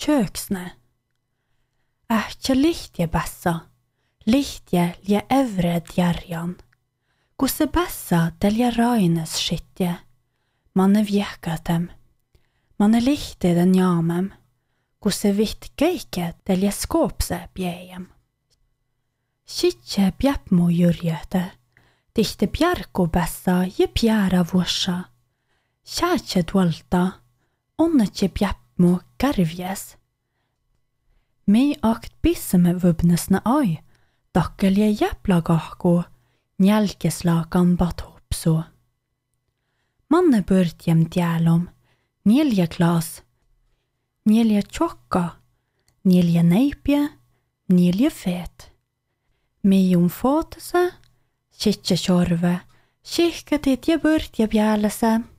köksne. Ähtja lihtje bässa, lihtje lia evre djärjan. Kusse bässa telja raines skittje, manne vjekatem. Manne lihte den jamem, kusse vitt geike telja skåpse bjejem. Skittje bjäpmo jyrjöte, tihte bjärko bässa je bjära vuossa. Käätje tuolta, onnetje bjäpmo kärvjes. Mi akt bisseme vubnesne ai, takkelje jäpla kahku, njälkeslakan bat hopsu. Manne börtjem tjälom, nielje klaas, nielje tjokka, nielje neipje, nielje fet. Mi footese, sitje tjorve, sihketit je börtje bjälese.